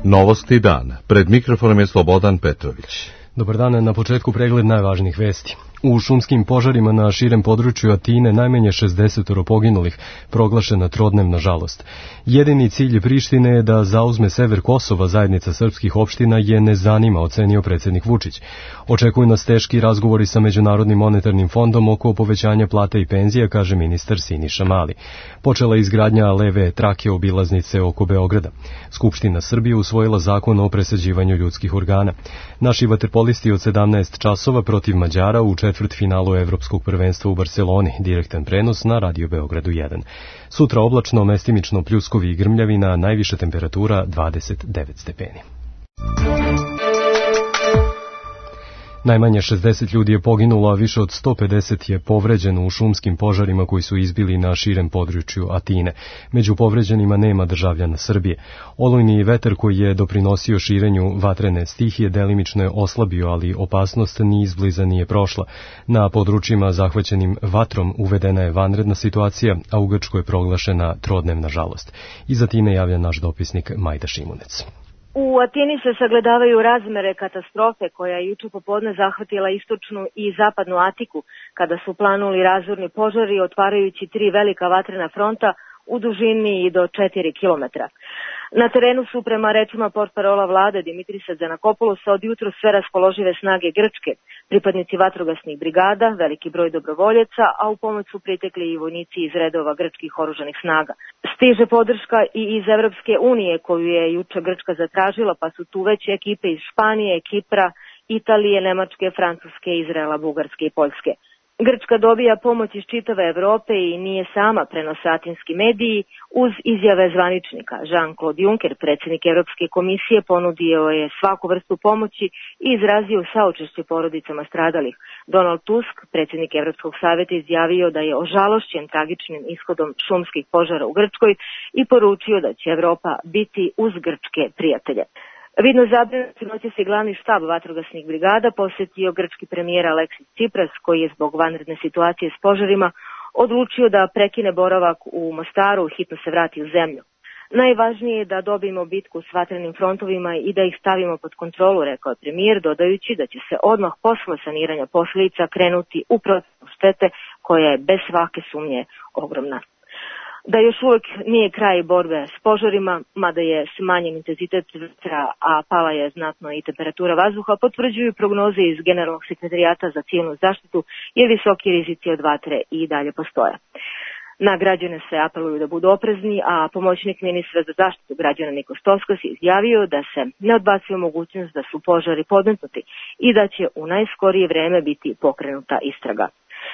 Novosti dan. Pred mikrofonom je Slobodan Petrović. Dobar dan, na početku pregled najvažnijih vesti. U šumskim požarima na širem području Atine najmanje 60 poginulih, proglašena trodnevna žalost. Jedini cilj Prištine je da zauzme sever Kosova, zajednica srpskih opština je ne zanima, ocenio predsjednik Vučić. Očekuju nas teški razgovori sa Međunarodnim monetarnim fondom oko povećanja plata i penzija, kaže ministar Siniša Mali. Počela je izgradnja leve trake obilaznice oko Beograda. Skupština Srbije usvojila zakon o presađivanju ljudskih organa. Naši vaterpolisti od 17 časova protiv Mađara u četvrtfinalu Evropskog prvenstva u Barceloni, direktan prenos na Radio Beogradu 1. Sutra oblačno, mestimično pljuskovi i grmljavina, najviša temperatura 29 stepeni. Najmanje 60 ljudi je poginulo, a više od 150 je povređeno u šumskim požarima koji su izbili na širem području Atine. Među povređenima nema državljana Srbije. Olujni vetar koji je doprinosio širenju vatrene stihije delimično je oslabio, ali opasnost ni izbliza nije prošla. Na područjima zahvaćenim vatrom uvedena je vanredna situacija, a u Grčkoj je proglašena trodnevna žalost. Iz Atine javlja naš dopisnik Majda Šimunec. U Atini se sagledavaju razmere katastrofe koja je juče popodne zahvatila istočnu i zapadnu Atiku, kada su planuli razorni požari otvarajući 3 velika vatrena fronta u dužini i do 4 kilometra. Na terenu su, prema rečima portparola vlade Dimitrisa Giannakopoulosa, od jutro sve raspoložive snage Grčke, pripadnici vatrogasnih brigada, veliki broj dobrovoljaca, a u pomoć su pritekli i vojnici iz redova grčkih oružanih snaga. Stiže podrška i iz Evropske unije koju je juče Grčka zatražila, pa su tu već ekipe iz Španije, Kipra, Italije, Nemačke, Francuske, Izraela, Bugarske i Poljske. Grčka dobija pomoć iz čitave Evrope i nije sama, prenose atinski mediji, uz izjave zvaničnika. Jean-Claude Juncker, predsjednik Evropske komisije, ponudio je svaku vrstu pomoći i izrazio saučešće porodicama stradalih. Donald Tusk, predsjednik Evropskog savjeta, izjavio da je ožalošćen tragičnim ishodom šumskih požara u Grčkoj i poručio da će Evropa biti uz grčke prijatelje. Vidno zabrinuti noći se glavni štab vatrogasnih brigada posjetio grčki premijer Aleksis Tsipras, koji je zbog vanredne situacije s požarima odlučio da prekine boravak u Mostaru, hitno se vrati u zemlju. Najvažnije je da dobijemo bitku s vatrenim frontovima i da ih stavimo pod kontrolu, rekao je premijer, dodajući da će se odmah posle saniranja posljedica krenuti u procjenu štete koja je bez svake sumnje ogromna. Da još uvijek nije kraj borbe s požarima, mada je smanjen intenzitet vetra, a pala je znatno i temperatura vazduha, potvrđuju prognoze iz Generalnog sekretarijata za civilnu zaštitu, jer visoki rizici od vatre i dalje postoje. Na građane se apeluju da budu oprezni, a pomoćnik ministra za zaštitu građana Niko Stovskas je izjavio da se ne odbacuje mogućnost da su požari podmetnuti i da će u najskorije vreme biti pokrenuta istraga.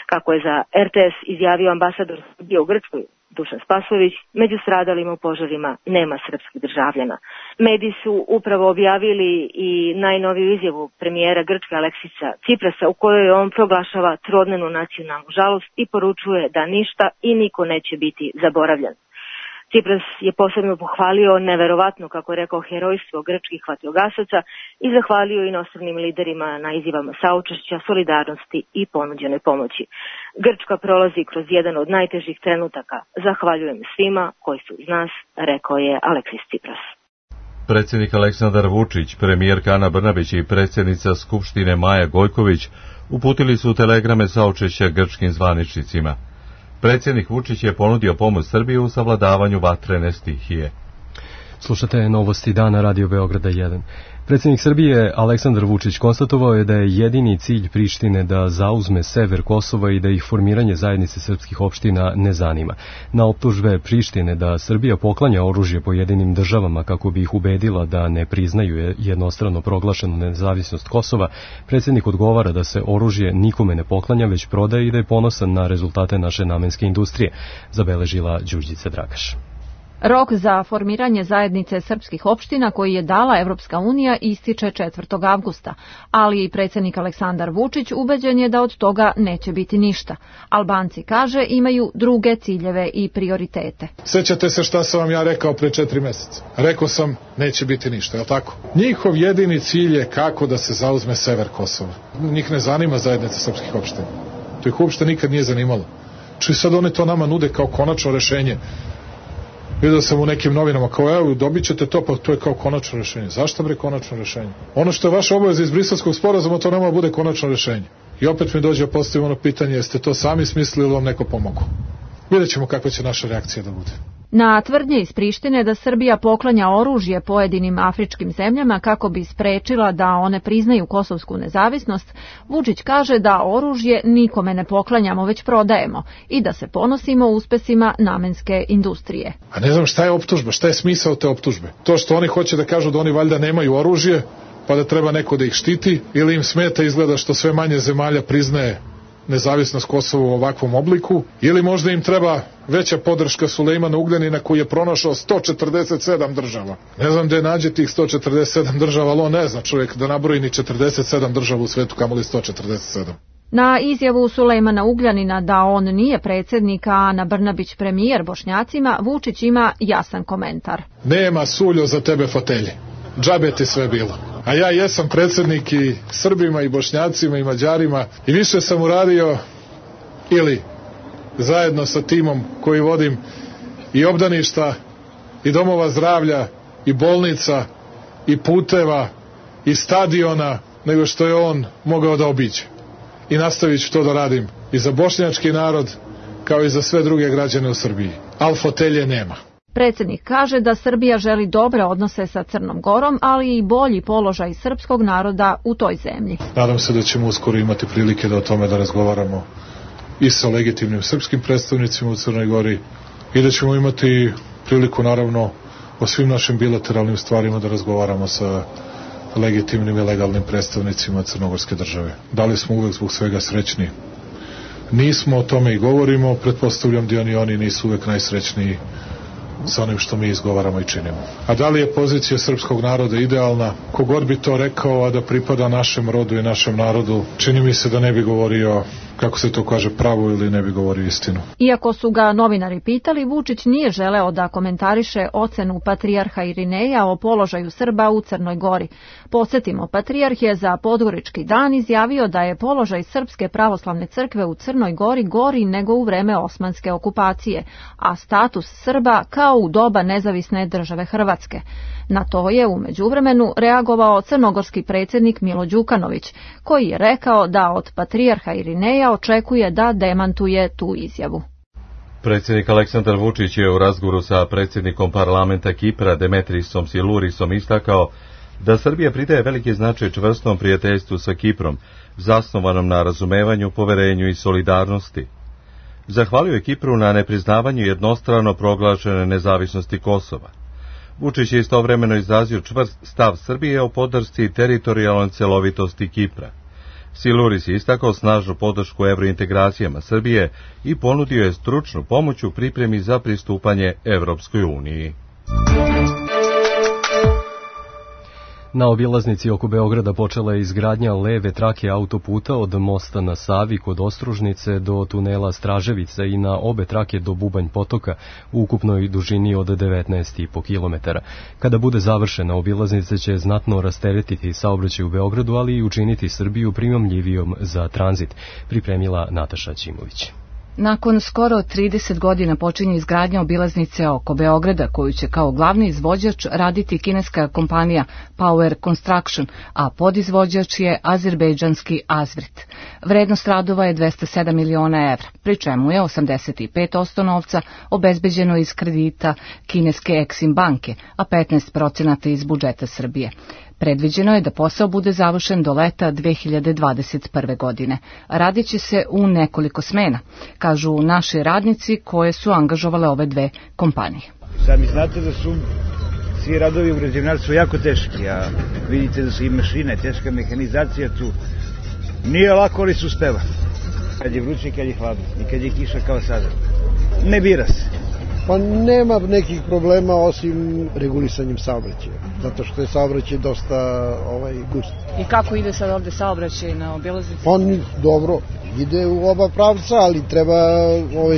Kako je za RTS izjavio ambasador Srbije u Grčkoj, Dušan Spasović, među stradalima u požarima nema srpskih državljana. Mediji su upravo objavili i najnoviju izjavu premijera Grčke Aleksisa Tsiprasa, u kojoj on proglašava trodnevnu nacionalnu žalost i poručuje da ništa i niko neće biti zaboravljen. Tsipras je posebno pohvalio neverovatno, kako je rekao, herojstvo grčkih vatrogasaca i zahvalio inostranim liderima na izjavama saučešća, solidarnosti i ponuđenoj pomoći. Grčka prolazi kroz jedan od najtežih trenutaka. Zahvaljujem svima koji su uz nas, rekao je Aleksis Tsipras. Predsjednik Aleksandar Vučić, premijerka Ana Brnabić i predsjednica Skupštine Maja Gojković uputili su telegrame saučešća grčkim zvaničnicima. Predsjednik Vučić je ponudio pomoć Srbiji u savladavanju vatrene stihije. Slušate Novosti dana Radio Beograda 1. Predsjednik Srbije Aleksandar Vučić konstatovao je da je jedini cilj Prištine da zauzme sever Kosova i da ih formiranje zajednice srpskih opština ne zanima. Na optužbe Prištine da Srbija poklanja oružje pojedinim državama kako bi ih ubedila da ne priznaju jednostrano proglašenu nezavisnost Kosova, predsjednik odgovara da se oružje nikome ne poklanja, već prodaje i da je ponosan na rezultate naše namenske industrije, zabeležila Đurđica Dragaš. Rok za formiranje zajednice srpskih opština koji je dala Evropska unija ističe 4. avgusta, ali i predsjednik Aleksandar Vučić ubeđen je da od toga neće biti ništa. Albanci, kaže, imaju druge ciljeve i prioritete. Sjećate se šta sam vam ja rekao pre 4 mjeseca? Rekao sam, neće biti ništa, je li tako? Njihov jedini cilj je kako da se zauzme sever Kosova. Njih ne zanima zajednica srpskih opština. To ih uopšte nikad nije zanimalo. Či sad oni to nama nude kao konačno rešenje. Vidio sam u nekim novinama kao, evo, dobit ćete to, pa to je kao konačno rešenje. Zašto bre konačno rešenje? Ono što je vaša obaveza iz Briselskog sporazuma, to nema bude konačno rešenje. I opet mi dođe postavimo ono pitanje, jeste to sami smislili ili vam neko pomogao? Vidjet ćemo kakva će naša reakcija da bude. Na tvrdnje iz Prištine da Srbija poklanja oružje pojedinim afričkim zemljama kako bi sprečila da one priznaju kosovsku nezavisnost, Vučić kaže da oružje nikome ne poklanjamo, već prodajemo i da se ponosimo uspesima namenske industrije. A ne znam šta je optužba, šta je smisao te optužbe? To što oni hoće da kažu da oni valjda nemaju oružje, pa da treba neko da ih štiti, ili im smeta izgleda što sve manje zemalja priznaje nezavisnost Kosova u ovakvom obliku, ili možda im treba veća podrška Sulejmana Ugljanina koji je pronašao 147 država. Ne znam gde nađe tih 147 država, ali on ne zna čovjek da nabroji ni 47 država u svetu, kamoli 147. Na izjavu Sulejmana Ugljanina da on nije predsjednik, a Ana Brnabić premijer Bošnjacima, Vučić ima jasan komentar. Nema suljo za tebe fotelje. Džabe ti sve bilo. A ja jesam predsjednik i Srbima i Bošnjacima i Mađarima i više sam uradio ili zajedno sa timom koji vodim i obdaništa i domova zdravlja i bolnica i puteva i stadiona nego što je on mogao da obiđe. I nastavit ću to da radim i za bošnjački narod kao i za sve druge građane u Srbiji. Al fotelje nema. Predsjednik kaže da Srbija želi dobre odnose sa Crnom Gorom, ali i bolji položaj srpskog naroda u toj zemlji. Nadam se da ćemo uskoro imati prilike da o tome da razgovaramo i sa legitimnim srpskim predstavnicima u Crnoj Gori i da ćemo imati priliku naravno o svim našim bilateralnim stvarima da razgovaramo sa legitimnim i legalnim predstavnicima crnogorske države. Da li smo uvek zbog svega srećni? Nismo, o tome i govorimo, pretpostavljam da oni nisu uvek najsrećniji sa onim što mi izgovaramo i činimo. A da li je pozicija srpskog naroda idealna? Kogod bi to rekao, a da pripada našem rodu i našem narodu, čini mi se da ne bi govorio, kako se to kaže, pravu ili ne bi govorio istinu. Iako su ga novinari pitali, Vučić nije želeo da komentariše ocenu patrijarha Irineja o položaju Srba u Crnoj Gori. Podsjetimo, patrijarh je za Podgorički dan izjavio da je položaj Srpske pravoslavne crkve u Crnoj Gori gori nego u vreme osmanske okupacije, a status Srba kao u doba nezavisne države Hrvatske. Na to je u međuvremenu reagovao crnogorski predsjednik Milo Đukanović, koji je rekao da od patrijarha Irineja očekuje da demantuje tu izjavu. Predsjednik Aleksandar Vučić je u razgovoru sa predsjednikom parlamenta Kipra Demetrisom Silurisom istakao da Srbija pridaje veliki značaj čvrstom prijateljstvu sa Kiprom, zasnovanom na razumevanju, poverenju i solidarnosti. Zahvalio je Kipru na nepriznavanju jednostrano proglašene nezavisnosti Kosova. Vučić je istovremeno izrazio čvrst stav Srbije o podršci teritorijalnoj celovitosti Kipra. Siluris je istakao snažnu podršku evrointegracijama Srbije i ponudio je stručnu pomoć u pripremi za pristupanje Evropskoj uniji. Na obilaznici oko Beograda počela je izgradnja leve trake autoputa od mosta na Savi kod Ostružnice do tunela Straževica i na obe trake do Bubanj potoka u ukupnoj dužini od 19,5 km. Kada bude završena, obilaznica će znatno rasteretiti saobraćaj u Beogradu, ali i učiniti Srbiju primamljivijom za tranzit, pripremila Nataša Ćimović. Nakon skoro 30 godina počinje izgradnja obilaznice oko Beograda, koju će kao glavni izvođač raditi kineska kompanija Power Construction, a podizvođač je azerbejdžanski Azvrit. Vrednost radova je 207 miliona evra, pri čemu je 85% novca obezbeđeno iz kredita kineske Exim banke, a 15% iz budžeta Srbije. Predviđeno je da posao bude završen do leta 2021. godine. Radit će se u nekoliko smena, kažu naši radnici koje su angažovale ove dve kompanije. Sami znate da su svi radovi u građevinarstvu jako teški, a vidite da su i mašine, teška mehanizacija tu. Nije lako, ali se uspeva. Kad je vruće, kad je hladno i kad je kiša kao sada. Ne bira se. Pa nema nekih problema osim regulisanjem saobraćaja, zato što je saobraćaj dosta gust. I kako ide sad ovde saobraćaj na obilaznici? On dobro ide u oba pravca, ali treba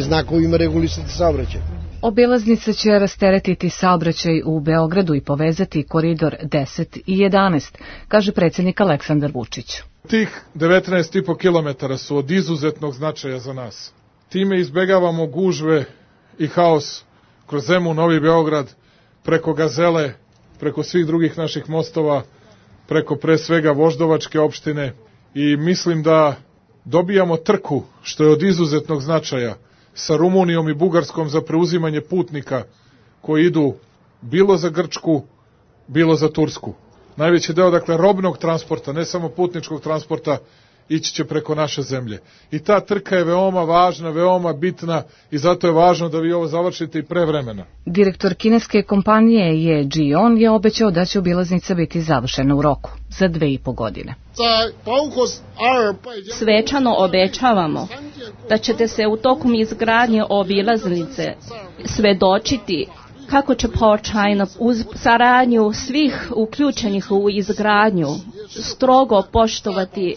znakovima regulisati saobraćaj. Obilaznica će rasteretiti saobraćaj u Beogradu i povezati koridor 10 i 11, kaže predsjednik Aleksandar Vučić. Tih 19,5 km su od izuzetnog značaja za nas. Time izbegavamo gužve i haos kroz Zemun, Novi Beograd, preko Gazele, preko svih drugih naših mostova, preko pre svega Voždovačke opštine i mislim da dobijamo trku, što je od izuzetnog značaja, sa Rumunijom i Bugarskom za preuzimanje putnika koji idu bilo za Grčku, bilo za Tursku. Najveći deo, dakle, robnog transporta, ne samo putničkog transporta, ići će preko naše zemlje. I ta trka je veoma važna, veoma bitna i zato je važno da vi ovo završite i pre vremena. Direktor kineske kompanije Ye Jion je obećao da će obilaznica biti završena u roku, za 2,5 godine. Svečano obećavamo da ćete se u tokom izgradnje obilaznice svedočiti kako će Port China uz saradnju svih uključenih u izgradnju strogo poštovati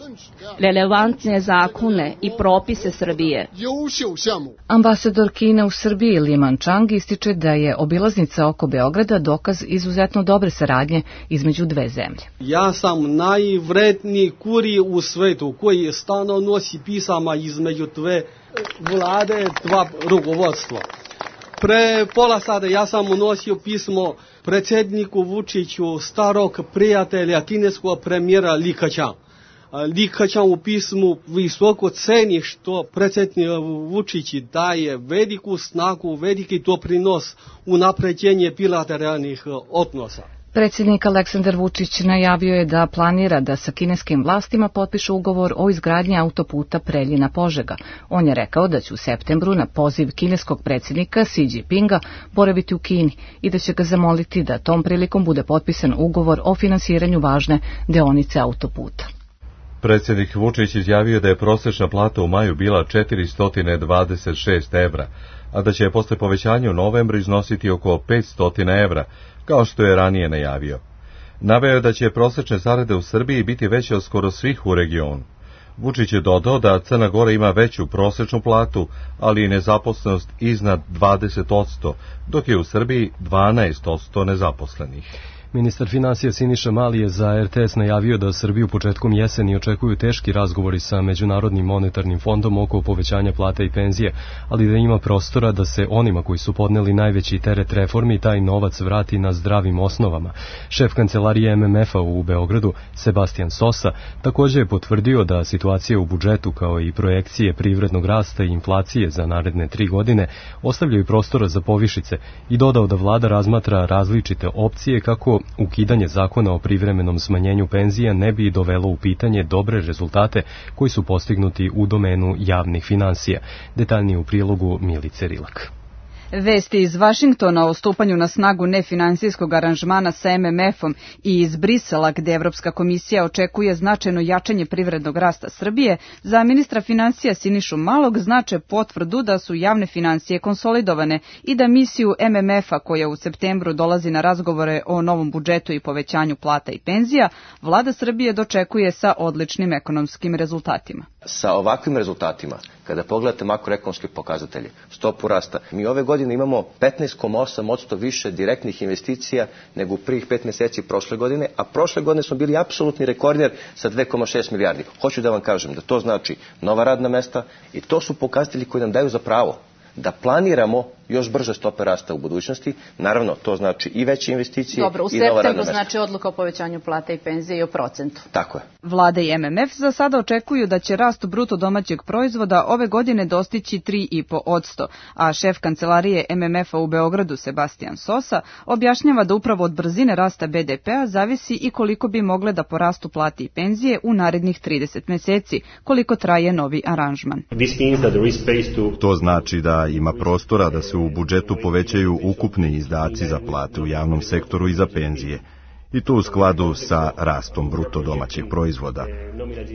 relevantne zakone i propise Srbije. Ambasador Kine u Srbiji Li Manchang ističe da je obilaznica oko Beograda dokaz izuzetno dobre saradnje između dve zemlje. Ja sam najvredniji kurir u svetu koji stalno nosi pisama između dve vlade, dva rukovodstva. Pre pola sata ja sam unosio pismo predsjedniku Vučiću, starog prijatelja kineskog premijera Li Keqiang. Li Keqiang u pismu visoko ceni što predsjednik Vučić daje veliku snagu, veliki doprinos u napređenje bilateralnih odnosa. Predsjednik Aleksandar Vučić najavio je da planira da sa kineskim vlastima potpiše ugovor o izgradnji autoputa Preljina-Požega. On je rekao da će u septembru na poziv kineskog predsjednika Xi Jinpinga boraviti u Kini i da će ga zamoliti da tom prilikom bude potpisan ugovor o finansiranju važne deonice autoputa. Predsjednik Vučić izjavio da je prosječna plata u maju bila 426 evra, a da će posle povećanja u novembru iznositi oko 500 evra, kao što je ranije najavio. Naveo je da će prosječne zarade u Srbiji biti veće od skoro svih u regionu. Vučić je dodao da Crna Gora ima veću prosječnu platu, ali i nezaposlenost iznad 20%, dok je u Srbiji 12% nezaposlenih. Ministar finansija Siniša Mali je za RTS najavio da Srbiju početkom jeseni očekuju teški razgovori sa Međunarodnim monetarnim fondom oko povećanja plata i penzije, ali da ima prostora da se onima koji su podneli najveći teret reformi taj novac vrati na zdravim osnovama. Šef kancelarije MMF-a u Beogradu, Sebastian Sosa, također je potvrdio da situacija u budžetu kao i projekcije privrednog rasta i inflacije za naredne 3 godine ostavljaju prostora za povišice i dodao da vlada razmatra različite opcije kako ukidanje zakona o privremenom smanjenju penzija ne bi dovelo u pitanje dobre rezultate koji su postignuti u domenu javnih finansija. Detaljnije u prilogu Milice Rilak. Vesti iz Vašingtona o stupanju na snagu nefinansijskog aranžmana sa MMF-om i iz Brisela, gde Evropska komisija očekuje značajno jačanje privrednog rasta Srbije, za ministra finansija Sinišu Malog znače potvrdu da su javne finansije konsolidovane i da misiju MMF-a, koja u septembru dolazi na razgovore o novom budžetu i povećanju plata i penzija, vlada Srbije dočekuje sa odličnim ekonomskim rezultatima. Sa ovakvim rezultatima, kada pogledate makroekonomske pokazatelje, stopu rasta, mi ove godine imamo 15,8% više direktnih investicija nego u prvih 5 mjeseci prošle godine, a prošle godine smo bili apsolutni rekorder sa 2,6 milijardi. Hoću da vam kažem da to znači nova radna mesta i to su pokazatelji koji nam daju za pravo da planiramo još brže stope rasta u budućnosti. Naravno, to znači i veće investicije i nova radna mesta. Dobro, u septembru znači odluka o povećanju plata i penzije i o procentu. Tako je. Vlada i MMF za sada očekuju da će rast bruto domaćeg proizvoda ove godine dostići 3,5%, a šef kancelarije MMF-a u Beogradu Sebastian Sosa objašnjava da upravo od brzine rasta BDP-a zavisi i koliko bi mogle da porastu plate i penzije u narednih 30 mjeseci, koliko traje novi aranžman. To znači da ima prostora da se u budžetu povećaju ukupni izdaci za plate u javnom sektoru i za penzije, i to u skladu sa rastom bruto domaćeg proizvoda.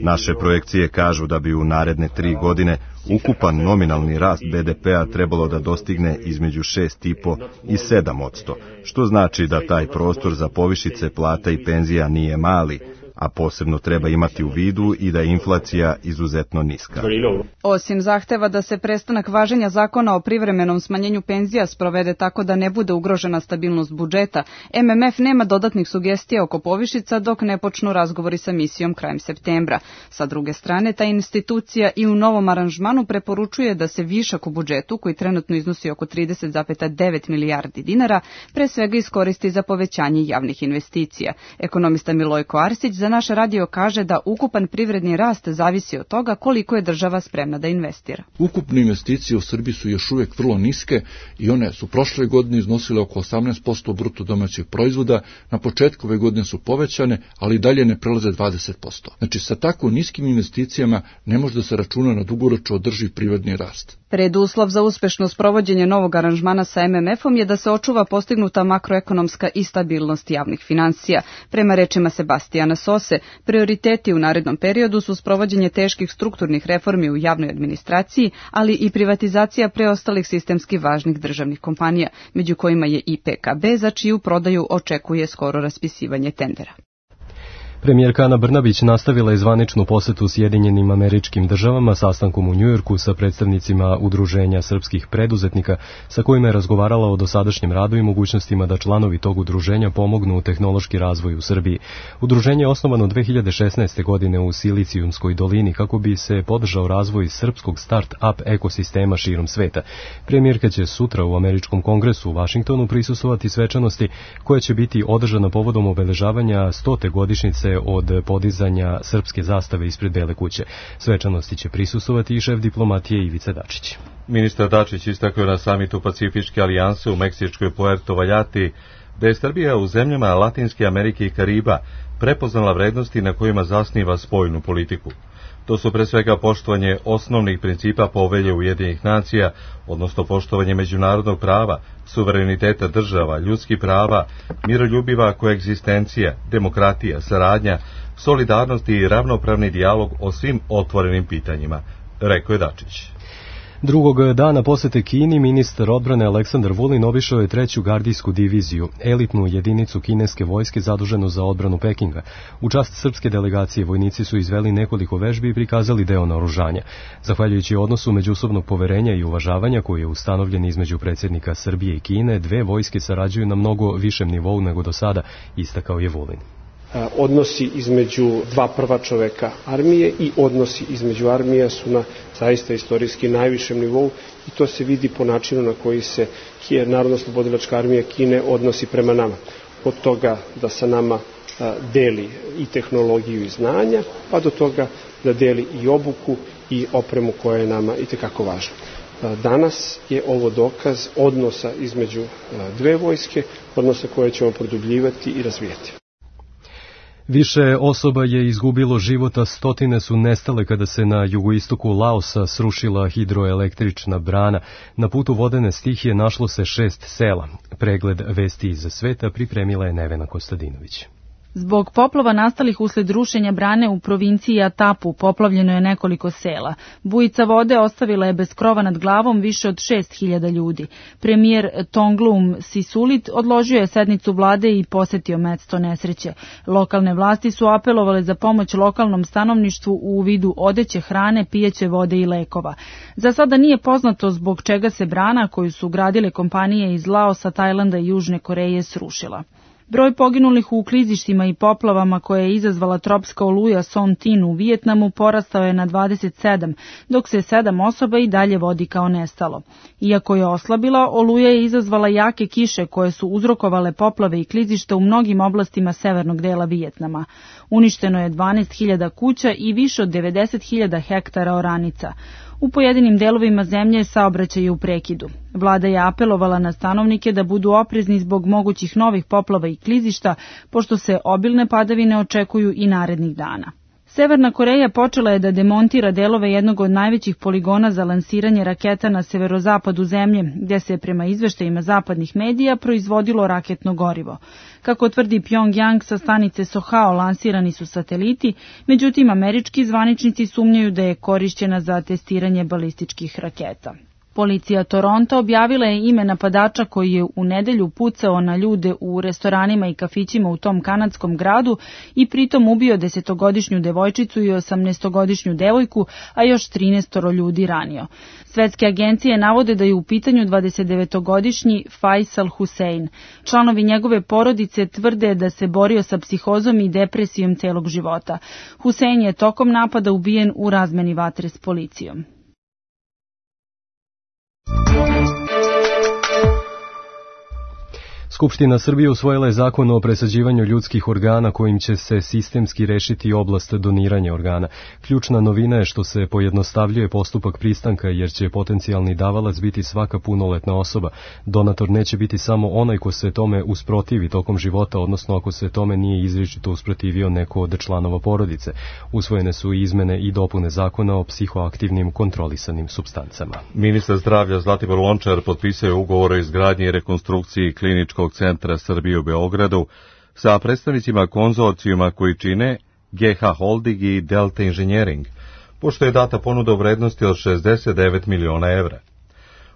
Naše projekcije kažu da bi u naredne 3 godine ukupan nominalni rast BDP-a trebalo da dostigne između 6,5 i 7%, što znači da taj prostor za povišice plata i penzija nije mali, a posebno treba imati u vidu i da je inflacija izuzetno niska. Osim zahteva da se prestanak važenja zakona o privremenom smanjenju penzija sprovede tako da ne bude ugrožena stabilnost budžeta, MMF nema dodatnih sugestija oko povišica dok ne počnu razgovori sa misijom krajem septembra. Sa druge strane, ta institucija i u novom aranžmanu preporučuje da se višak u budžetu, koji trenutno iznosi oko 30,9 milijardi dinara, pre svega iskoristi za povećanje javnih investicija. Ekonomista Milojko Arsić za naš radio kaže da ukupan privredni rast zavisi od toga koliko je država spremna da investira. Ukupne investicije u Srbiji su još uvek vrlo niske i one su prošle godine iznosile oko 18% bruto domaćeg proizvoda, na početku ove godine su povećane, ali dalje ne prelaze 20%. Znači, sa tako niskim investicijama ne može da se računa na dugoročno održiv privredni rast. Preduslov za uspešno sprovođenje novog aranžmana sa MMF-om je da se očuva postignuta makroekonomska i stabilnost javnih finansija. Prema rečima Sebastijana Sose, prioriteti u narednom periodu su sprovođenje teških strukturnih reformi u javnoj administraciji, ali i privatizacija preostalih sistemski važnih državnih kompanija, među kojima je i PKB, za čiju prodaju očekuje skoro raspisivanje tendera. Premijerka Ana Brnabić nastavila je zvaničnu posetu Sjedinjenim Američkim Državama sastankom u Njujorku sa predstavnicima Udruženja srpskih preduzetnika, sa kojima je razgovarala o dosadašnjem radu i mogućnostima da članovi tog udruženja pomognu u tehnološki razvoj u Srbiji. Udruženje je osnovano 2016. godine u Silicijumskoj dolini kako bi se podržao razvoj srpskog start-up ekosistema širom sveta. Premijerka će sutra u Američkom kongresu u Vašingtonu prisustvovati svečanosti koja će biti održana povodom obeležavanja 100. godišnjice od podizanja srpske zastave ispred Bele kuće. Svečanosti će prisustvovati i šef diplomatije Ivica Dačić. Ministar Dačić istakao na samitu Pacifičke alijanse u meksičkoj Puerto Valjati da je Srbija u zemljama Latinske Amerike i Kariba prepoznala vrednosti na kojima zasniva spoljnu politiku. To su pre svega poštovanje osnovnih principa Povelje Ujedinjenih nacija, odnosno poštovanje međunarodnog prava, suvereniteta država, ljudskih prava, miroljubiva koegzistencija, demokratija, saradnja, solidarnost i ravnopravni dijalog o svim otvorenim pitanjima, rekao je Dačić. Drugog dana posete Kini ministar odbrane Aleksandar Vulin obišao je 3. gardijsku diviziju, elitnu jedinicu kineske vojske zaduženu za odbranu Pekinga. U čast srpske delegacije vojnici su izveli nekoliko vežbi i prikazali deo naoružanja. Zahvaljujući odnosu međusobnog poverenja i uvažavanja koji je ustanovljen između predsjednika Srbije i Kine, dve vojske sarađuju na mnogo višem nivou nego do sada, istakao je Vulin. Odnosi između dva prva čoveka armije i odnosi između armija su na zaista istorijski najvišem nivou i to se vidi po načinu na koji se Narodno-oslobodilačka armija Kine odnosi prema nama. Od toga da sa nama deli i tehnologiju i znanja, pa do toga da deli i obuku i opremu koja je nama itekako važna. Danas je ovo dokaz odnosa između dve vojske, odnosa koje ćemo produbljivati i razvijati. Više osoba je izgubilo života, stotine su nestale kada se na jugoistoku Laosa srušila hidroelektrična brana. Na putu vodene stihije našlo se 6 sela. Pregled vesti iz sveta pripremila je Nevena Kostadinović. Zbog poplava nastalih usled rušenja brane u provinciji Atapu poplavljeno je nekoliko sela. Bujica vode ostavila je bez krova nad glavom više od 6.000 ljudi. Premijer Tonglum Sisulit odložio je sednicu vlade i posetio mesto nesreće. Lokalne vlasti su apelovale za pomoć lokalnom stanovništvu u vidu odeće, hrane, pijeće vode i lekova. Za sada nije poznato zbog čega se brana koju su gradile kompanije iz Laosa, Tajlanda i Južne Koreje srušila. Broj poginulih u klizištima i poplavama koje je izazvala tropska oluja Son Tin u Vijetnamu porastao je na 27, dok se 7 osoba i dalje vodi kao nestalo. Iako je oslabila, oluja je izazvala jake kiše koje su uzrokovale poplave i klizišta u mnogim oblastima severnog dela Vijetnama. Uništeno je 12.000 kuća i više od 90.000 hektara oranica. U pojedinim delovima zemlje saobraćaj je u prekidu. Vlada je apelovala na stanovnike da budu oprezni zbog mogućih novih poplava i klizišta, pošto se obilne padavine očekuju i narednih dana. Severna Koreja počela je da demontira delove jednog od najvećih poligona za lansiranje raketa na severozapadu zemlje, gde se prema izveštajima zapadnih medija proizvodilo raketno gorivo. Kako tvrdi Pyongyang, sa stanice Sohao lansirani su sateliti, međutim američki zvaničnici sumnjaju da je korišćena za testiranje balističkih raketa. Policija Toronto objavila je ime napadača koji je u nedelju pucao na ljude u restoranima i kafićima u tom kanadskom gradu i pritom ubio 10-godišnju devojčicu i 18-godišnju devojku, a još 13 ljudi ranio. Svetske agencije navode da je u pitanju 29-godišnji Faisal Hussein. Članovi njegove porodice tvrde da se borio sa psihozom i depresijom celog života. Hussein je tokom napada ubijen u razmeni vatre s policijom. Skupština Srbije usvojila je zakon o presađivanju ljudskih organa kojim će se sistemski rešiti oblast doniranja organa. Ključna novina je što se pojednostavljuje postupak pristanka jer će potencijalni davalac biti svaka punoletna osoba. Donator neće biti samo onaj ko se tome usprotivi tokom života, odnosno ako se tome nije izričito usprotivio neko od članova porodice. Usvojene su izmene i dopune zakona o psihoaktivnim kontrolisanim supstancama. Ministar zdravlja Zlatibor Lončar potpisao je ugovor o izgradnji i rekonstrukciji kliničkog centra Srbije u Beogradu sa predstavnicima konzorcijuma koji čine GH Holding i Delta Engineering, pošto je data ponuda u vrednosti od 69 miliona evra.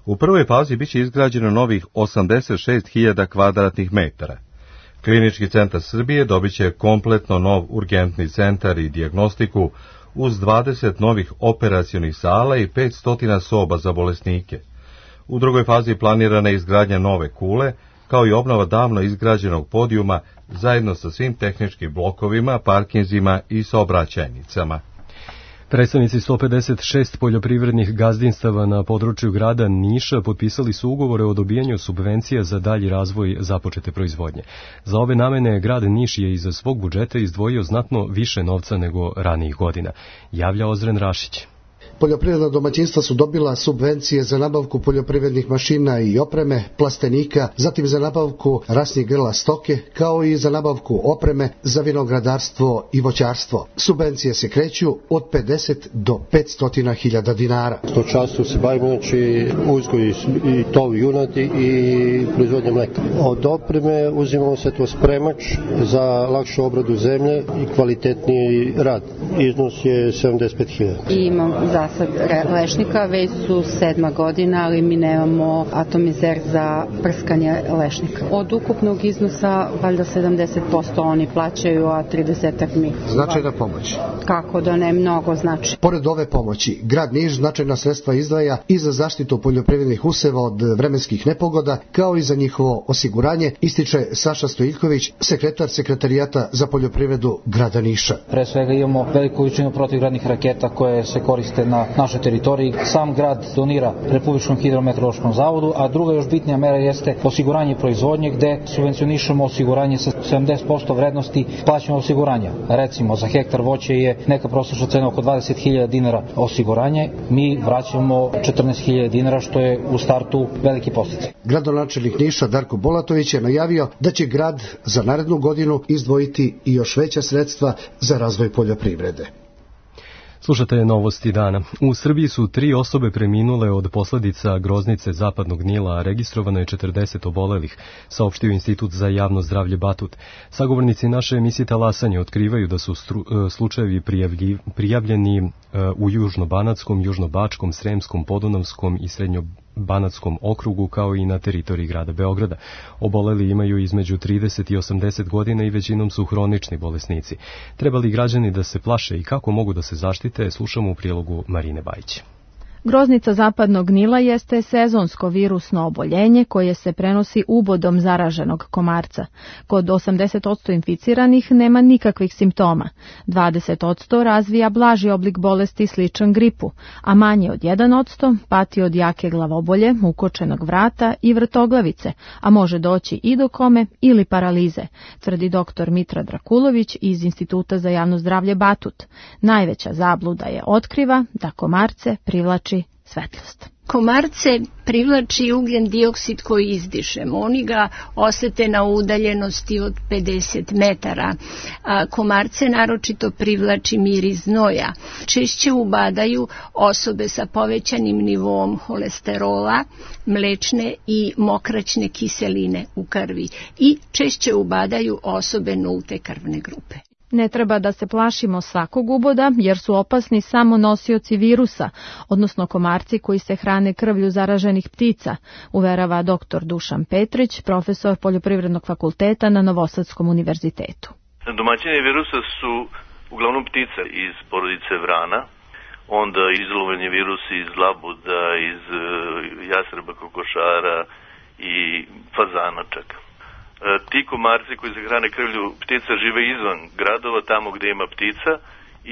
U prvoj fazi biće izgrađeno novih 86.000 kvadratnih metara. Klinički centar Srbije dobiće kompletno nov urgentni centar i dijagnostiku uz 20 novih operacionih sala i 500 soba za bolesnike. U drugoj fazi planirana je izgradnja nove kule, kao i obnova davno izgrađenog podijuma zajedno sa svim tehničkim blokovima, parkinzima i saobraćajnicama. Predstavnici 156 poljoprivrednih gazdinstava na području grada Niša potpisali su ugovore o dobijanju subvencija za dalji razvoj započete proizvodnje. Za ove namene grad Niš je iz svog budžeta izdvojio znatno više novca nego ranijih godina, javlja Ozren Rašić. Poljoprivredna domaćinstva su dobila subvencije za nabavku poljoprivrednih mašina i opreme, plastenika, zatim za nabavku rasnih grla stoke, kao i za nabavku opreme za vinogradarstvo i voćarstvo. Subvencije se kreću od 50 do 500.000 dinara. Stočarstvo se bavimo, znači uzgoj i tov junadi i proizvodnja mleka. Od opreme uzimamo se to spremač za lakšu obradu zemlje i kvalitetniji rad. Iznos je 75.000. Imam zasad lešnika, već su 7. godina, ali mi nemamo atomizer za prskanje lešnika. Od ukupnog iznosa, valjda 70% oni plaćaju, a 30% mi. Značajna pomoć. Kako da ne, mnogo znači. Pored ove pomoći, grad Niš značajna sredstva izdvaja i za zaštitu poljoprivrednih useva od vremenskih nepogoda, kao i za njihovo osiguranje, ističe Saša Stojiljković, sekretar sekretarijata za poljoprivredu grada Niša. Pre svega imamo veliku količinu protivgradnih raketa koje se koriste na našoj teritoriji. Sam grad donira Republičkom hidrometeorološkom zavodu, a druga još bitnija mera jeste osiguranje proizvodnje, gde subvencionišemo osiguranje sa 70% vrednosti plaćanja osiguranja. Recimo, za hektar voća je neka prosječna cena oko 20.000 dinara osiguranje, mi vraćamo 14.000 dinara, što je u startu veliki podsticaj. Gradonačelnik Niša Darko Bolatović je najavio da će grad za narednu godinu izdvojiti i još veća sredstva za razvoj poljoprivrede. Slušate novosti dana. U Srbiji su 3 osobe preminule od posledica groznice zapadnog Nila, a registrovano je 40 obolelih, saopštio Institut za javno zdravlje Batut. Sagovornici naše emisije Talasanje otkrivaju da su slučajevi prijavljeni u Južno-Banatskom, Južno-Bačkom, Sremskom, Podunavskom i Srednjo-Banatskom okrugu, kao i na teritoriji grada Beograda. Oboleli imaju između 30 i 80 godina i većinom su hronični bolesnici. Treba li građani da se plaše i kako mogu da se zaštite, slušamo u prilogu Marine Bajić. Groznica zapadnog Nila jeste sezonsko virusno oboljenje koje se prenosi ubodom zaraženog komarca. Kod 80% inficiranih nema nikakvih simptoma. 20% razvija blaži oblik bolesti sličan gripu, a manje od 1% pati od jake glavobolje, ukočenog vrata i vrtoglavice, a može doći i do kome ili paralize, tvrdi dr. Mitra Drakulović iz Instituta za javno zdravlje Batut. Najveća zabluda je otkriva da komarce privlači svetlost. Komarce privlači ugljen dioksid koji izdišemo. Oni ga osete na udaljenosti od 50 metara. Komarce naročito privlači miris znoja. Češće ubadaju osobe sa povećanim nivoom holesterola, mlečne i mokraćne kiseline u krvi i češće ubadaju osobe nulte krvne grupe. Ne treba da se plašimo svakog uboda, jer su opasni samo nosioci virusa, odnosno komarci koji se hrane krvlju zaraženih ptica, uverava dr. Dušan Petrić, profesor Poljoprivrednog fakulteta na Novosadskom univerzitetu. Domaćini virusa su uglavnom ptice iz porodice vrana, onda izlovljeni virusi iz labuda, iz jastreba, kokošara i fazana čak. Ti komarci koji se hrane krvlju ptica žive izvan gradova, tamo gde ima ptica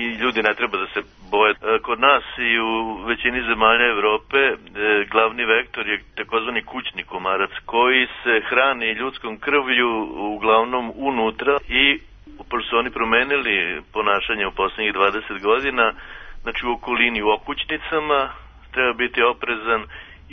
i ljudi ne treba da se boje. Kod nas i u većini zemalja Evrope glavni vektor je takozvani kućni komarac koji se hrani ljudskom krvlju uglavnom unutra i pošto su oni promenili ponašanje u poslednjih 20 godina, znači u okolini, u okućnicama treba biti oprezan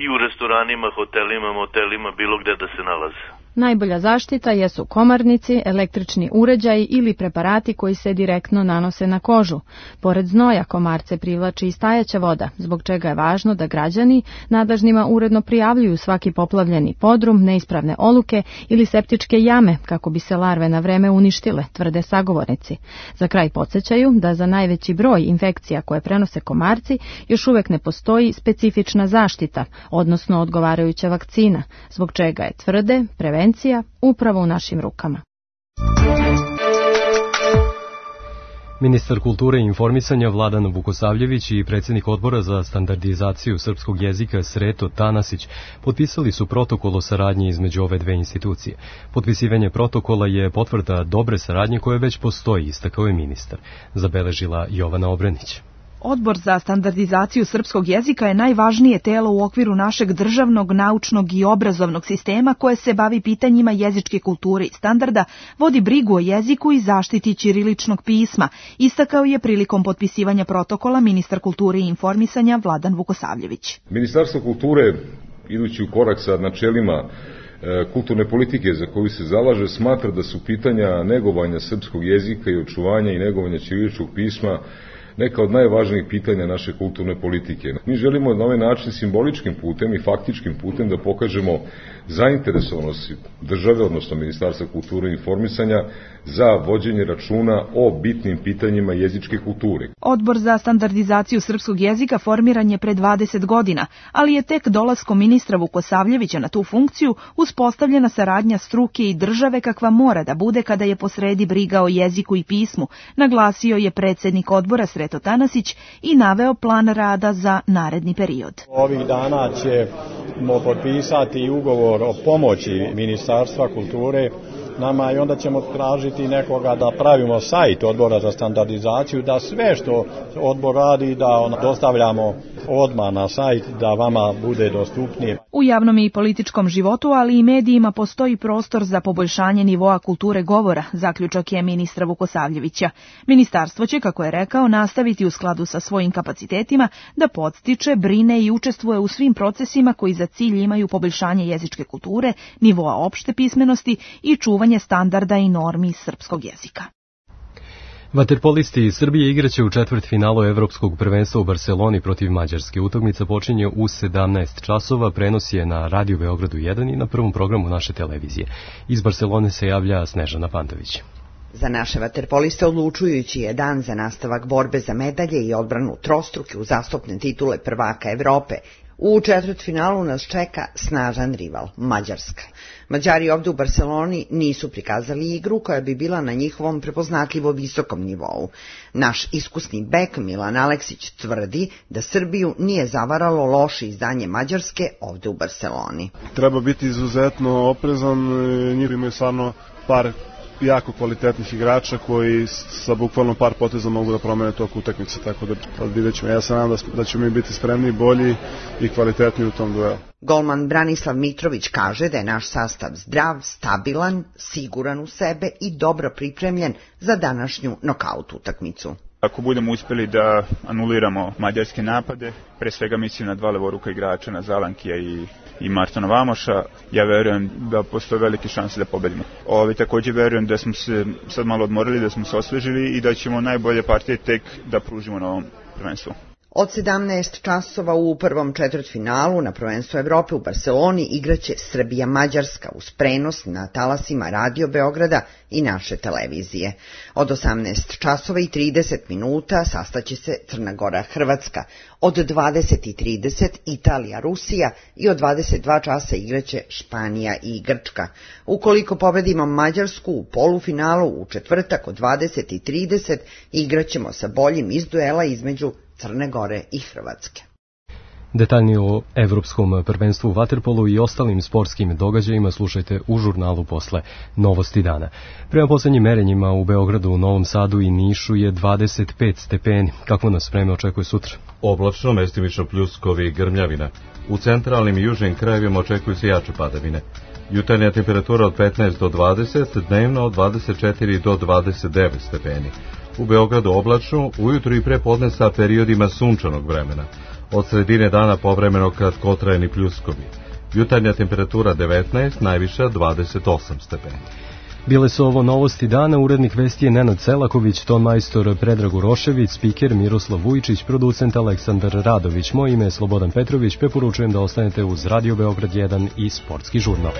i u restoranima, hotelima, motelima, bilo gde da se nalaze. Najbolja zaštita jesu komarnici, električni uređaji ili preparati koji se direktno nanose na kožu. Pored znoja komarce privlači i stajaća voda, zbog čega je važno da građani nadležnima uredno prijavljuju svaki poplavljeni podrum, neispravne oluke ili septičke jame kako bi se larve na vreme uništile, tvrde sagovornici. Za kraj podsjećaju da za najveći broj infekcija koje prenose komarci još uvek ne postoji specifična zaštita, odnosno odgovarajuća vakcina, zbog čega je tvrde prevencija upravo u našim rukama. Ministar kulture i informisanja Vladan Vukosavljević i predsjednik odbora za standardizaciju srpskog jezika Sreto Tanasić potpisali su protokol o saradnji između ove dve institucije. Potpisivanje protokola je potvrda dobre saradnje koje već postoji, istakao je ministar, zabeležila Jovana Obrenić. Odbor za standardizaciju srpskog jezika je najvažnije telo u okviru našeg državnog, naučnog i obrazovnog sistema koje se bavi pitanjima jezičke kulture i standarda, vodi brigu o jeziku i zaštiti ćiriličnog pisma, istakao je prilikom potpisivanja protokola ministar kulture i informisanja Vladan Vukosavljević. Ministarstvo kulture, idući u korak sa načelima kulturne politike za koju se zalaže, smatra da su pitanja negovanja srpskog jezika i očuvanja i negovanja ćiriličnog pisma neka od najvažnijih pitanja naše kulturne politike. Mi želimo na ovaj način simboličkim putem i faktičkim putem da pokažemo zainteresovanost države, odnosno Ministarstva kulture i informisanja, za vođenje računa o bitnim pitanjima jezičke kulture. Odbor za standardizaciju srpskog jezika formiran je pre 20 godina, ali je tek dolaskom ministra Vukosavljevića na tu funkciju uspostavljena saradnja struke i države kakva mora da bude kada je posredi briga o jeziku i pismu, naglasio je predsjednik odbora Sreto Tanasić i naveo plan rada za naredni period. Ovih dana ćemo potpisati ugovor o pomoći Ministarstva kulture nama i onda ćemo tražiti nekoga da pravimo sajt odbora za standardizaciju, da sve što odbor radi da dostavljamo odmah na sajt, da vama bude dostupnije. U javnom i političkom životu, ali i medijima postoji prostor za poboljšanje nivoa kulture govora, zaključak je ministra Vukosavljevića. Ministarstvo će, kako je rekao, nastaviti u skladu sa svojim kapacitetima da podstiče, brine i učestvuje u svim procesima koji za cilj imaju poboljšanje jezičke kulture, nivoa opšte pismenosti i čuvanje standarda i normi srpskog jezika. Vaterpolisti iz Srbije igraće u četvrtfinalu Evropskog prvenstva u Barseloni protiv Mađarske. Utakmica počinje u 17 časova, prenos je na Radio Beogradu 1 i na prvom programu naše televizije. Iz Barselone se javlja Snežana Pantović. Za naše vaterpoliste odlučujući je dan za nastavak borbe za medalje i odbranu trostruke uzastopne titule prvaka Evrope. U četvrtfinalu nas čeka snažan rival, Mađarska. Mađari ovdje u Barceloni nisu prikazali igru koja bi bila na njihovom prepoznatljivo visokom nivou. Naš iskusni bek Milan Aleksić tvrdi da Srbiju nije zavaralo loše izdanje Mađarske ovdje u Barceloni. Treba biti izuzetno oprezan, njih imaju stvarno par jako kvalitetnih igrača koji sa bukvalno par poteza mogu da promene tok utakmice, tako da vidjet ćemo. Ja se nadam da ćemo mi biti spremni, bolji i kvalitetniji u tom duelu. Golman Branislav Mitrović kaže da je naš sastav zdrav, stabilan, siguran u sebe i dobro pripremljen za današnju nokaut utakmicu. Ako budemo uspjeli da anuliramo mađarske napade, pre svega mislim na dva levoruka igrača, na Zalankija i Martona Vamoša, ja verujem da postoje velike šanse da pobedimo. Također verujem da smo se sad malo odmorili, da smo se osvežili i da ćemo najbolje partije tek da pružimo na ovom prvenstvu. Od 17 časova u prvom četvrtfinalu na prvenstvu Evrope u Barseloni igraće Srbija-Mađarska uz prenos na talasima Radio Beograda i naše televizije. Od 18 časova i 30 minuta sastaće se Crna Gora-Hrvatska, od 20:30 Italija-Rusija i od 22 časa igraće Španija i Grčka. Ukoliko pobedimo Mađarsku u polufinalu u četvrtak od 20:30 igraćemo sa boljim iz duela između Crne Gore i Hrvatske. Detaljnije o Evropskom prvenstvu u vaterpolu i ostalim sportskim događajima slušajte u žurnalu posle Novosti dana. Prema poslednjim merenjima u Beogradu, Novom Sadu i Nišu je 25 stepeni. Kako nas vreme očekuje sutra? Oblačno, mestimično pljuskovi i grmljavina. U centralnim i južnim krajevima očekuju se jače padavine. Jutarnja temperatura od 15 do 20, dnevno od 24 do 29 stepeni. U Beogradu oblačno, ujutru i pre podne sa periodima sunčanog vremena. Od sredine dana povremeno kratkotrajni pljuskovi. Jutarnja temperatura 19, najviša 28 stepeni. Bile su ovo Novosti dana, urednik vesti je Nenad Selaković, ton majstor Predrag Urošević, spiker Miroslav Vujčić, producent Aleksandar Radović. Moje ime je Slobodan Petrović, preporučujem da ostanete uz Radio Beograd 1 i Sportski žurnal.